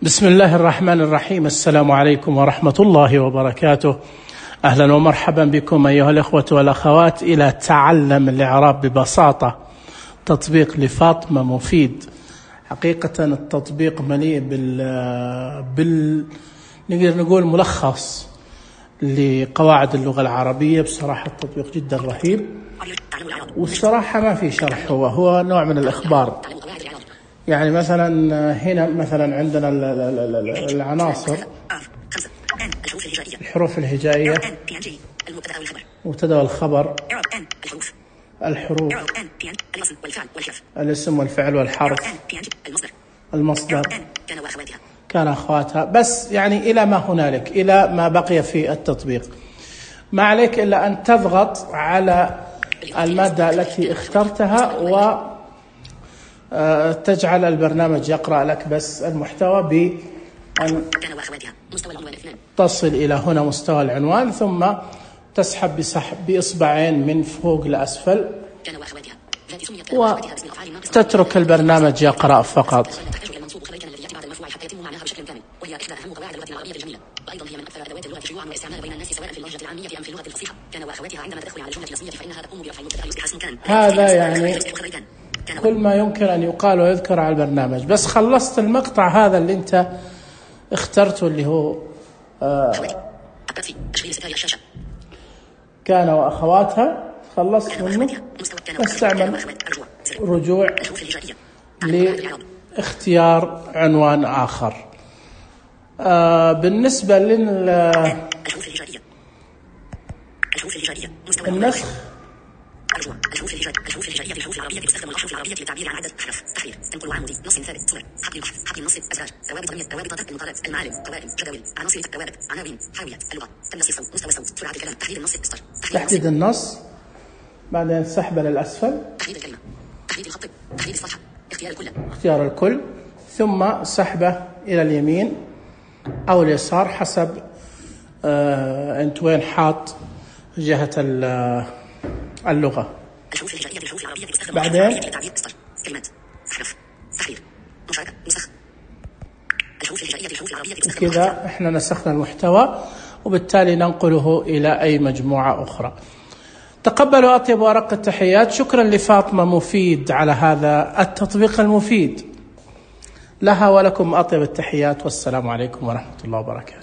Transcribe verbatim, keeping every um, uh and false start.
بسم الله الرحمن الرحيم. السلام عليكم ورحمة الله وبركاته. أهلا ومرحبا بكم أيها الأخوة والأخوات إلى تعلم الإعراب ببساطة، تطبيق لفاطمة مفيد. حقيقة التطبيق مليء بال بال نقدر نقول ملخص لقواعد اللغة العربية. بصراحة التطبيق جدا رهيب، والصراحة ما في شرح، هو هو نوع من الإخبار. يعني مثلا هنا مثلا عندنا العناصر، الحروف الهجائية، مبتدأ والخبر، الحروف، الاسم والفعل والحرف، المصدر، كان أخواتها، بس يعني إلى ما هنالك، إلى ما بقي في التطبيق. ما عليك إلا أن تضغط على المادة التي اخترتها و تجعل البرنامج يقرأ لك بس المحتوى بأن تصل إلى هنا مستوى العنوان، ثم تسحب بسحب بإصبعين من فوق لأسفل وتترك البرنامج يقرأ فقط. وأيضا هي من أكثر أدوات اللغة شيوعا واستعمالا بين الناس سواء في اللهجة العامية أم في اللغة الفصيحة. كان وأخواتها عندما تدخل على جملة اسمية فإنها تقوم بأفعال مبتدأ يصبح اسم كان. هذا يعني كل ما يمكن أن يقال ويذكر على البرنامج. بس خلصت المقطع هذا اللي أنت اخترته اللي هو آه كان وأخواتها، خلصت منه، نستعمل رجوع لاختيار عنوان آخر. آه بالنسبة للنسخ، الحروف الهجائية الحروف الهجائية في الحروف العربية تستخدم الأحرف العربية للتعبير عن عدد أحرف: تحرير، تنقل وعمودي، نص ثابت، صور، حبل البحر، حبل النص، أزواج، ثوابت ضمير، ثوابت المقالات، المعالم، قوائم، جداول، عناصر، ثوابت، عناوين، حاويات، اللغة، تنسيق الصوت، مستوى الصوت، سرعة الكلام، تحديد النص، استر، تحديد النص، بعدين سحب للأسفل، تحديد الكلمة، تحديد الخط، تحديد الصفحة، اختيار الكل، اختيار الكل، ثم سحبه إلى اليمين أو اليسار حسب آه أنت وين حاط جهة اللغة. الحروف الهجائية في الحروف العربية تستخدم بعدين للتعبير استر، كلمات، أحرف، تحرير، مشاركة، نسخ. الحروف الهجائية في الحروف العربية تستخدم كذا احنا نسخنا المحتوى، وبالتالي ننقله إلى أي مجموعة أخرى. تقبلوا أطيب وأرق التحيات. شكرا لفاطمة مفيد على هذا التطبيق المفيد. لها ولكم أطيب التحيات، والسلام عليكم ورحمة الله وبركاته.